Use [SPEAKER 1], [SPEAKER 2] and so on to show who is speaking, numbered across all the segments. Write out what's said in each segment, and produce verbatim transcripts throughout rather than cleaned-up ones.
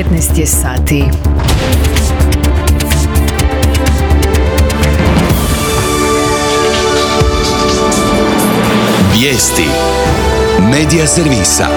[SPEAKER 1] petnaest je sati.
[SPEAKER 2] Vijesti Medija servisa.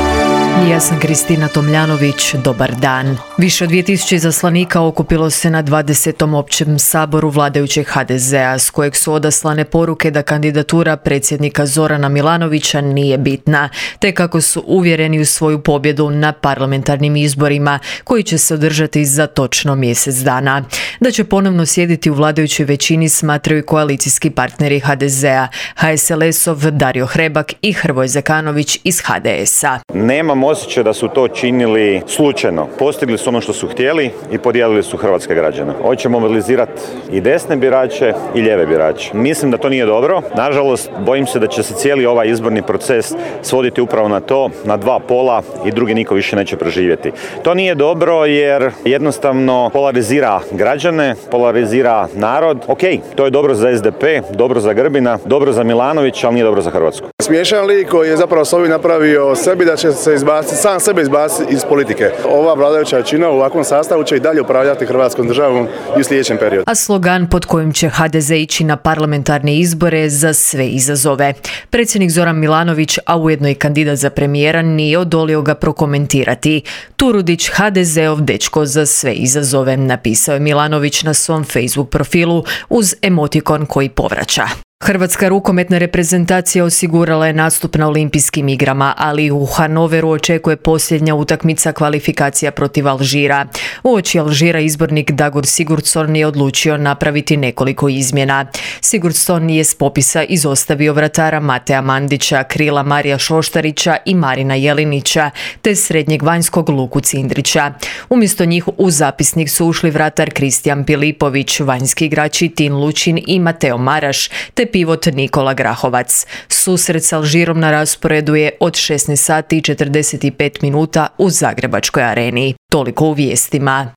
[SPEAKER 1] Ja sam Kristina Tomljanović, dobar dan. Više od dvije tisuće izaslanika okupilo se na dvadesetom općem saboru vladajućeg ha de zea, s kojeg su odaslane poruke da kandidatura predsjednika Zorana Milanovića nije bitna, te kako su uvjereni u svoju pobjedu na parlamentarnim izborima, koji će se održati za točno mjesec dana. Da će ponovno sjediti u vladajućoj većini smatraju koalicijski partneri ha de zea, ha es el es-ov Dario Hrebak i Hrvoje Zekanović iz ha de esa.
[SPEAKER 3] Nemam osjećaj da su to činili slučajno. Postigli su ono što su htjeli i podijelili su hrvatske građane. Hoćemo mobilizirati i desne birače i lijeve birače. Mislim da to nije dobro. Nažalost, bojim se da će se cijeli ovaj izborni proces svoditi upravo na to, na dva pola i drugi niko više neće preživjeti. To nije dobro jer jednostavno polarizira građane, polarizira narod. Ok, to je dobro za es de pe, dobro za Grbina, dobro za Milanovića, ali nije dobro za Hrvatsku.
[SPEAKER 4] Smiješan lik koji je zapravo s ovim napravio sebi da će se izbaciti, sam sebe izbaciti iz politike. Ova vladajuća većina u ovakvom sastavu će i dalje upravljati Hrvatskom državom i u sljedećem periodu.
[SPEAKER 1] A slogan pod kojim će ha de ze ići na parlamentarne izbore za sve izazove. Predsjednik Zoran Milanović, a ujedno i kandidat za premijera, nije odolio ga prokomentirati. Turudić, ha de zeov dečko za sve izazove, napisao je Milanović na svom Facebook profilu uz emotikon koji povraća. Hrvatska rukometna reprezentacija osigurala je nastup na olimpijskim igrama, ali u Hanoveru očekuje posljednja utakmica kvalifikacija protiv Alžira. Uoči Alžira izbornik Dagur Sigurdsson je odlučio napraviti nekoliko izmjena. Sigurdsson je s popisa izostavio vratara Matea Mandića, krila Marija Šoštarića i Marina Jelinića, te srednjeg vanjskog Luku Cindrića. Umjesto njih u zapisnik su ušli vratar Kristijan Pilipović, vanjski igrači Tin Lučin i Mateo Maraš, te pivot Nikola Grahovac. Susret s Alžirom na rasporedu je od šesnaest sati i četrdeset pet minuta u Zagrebačkoj areni. Toliko u vijestima.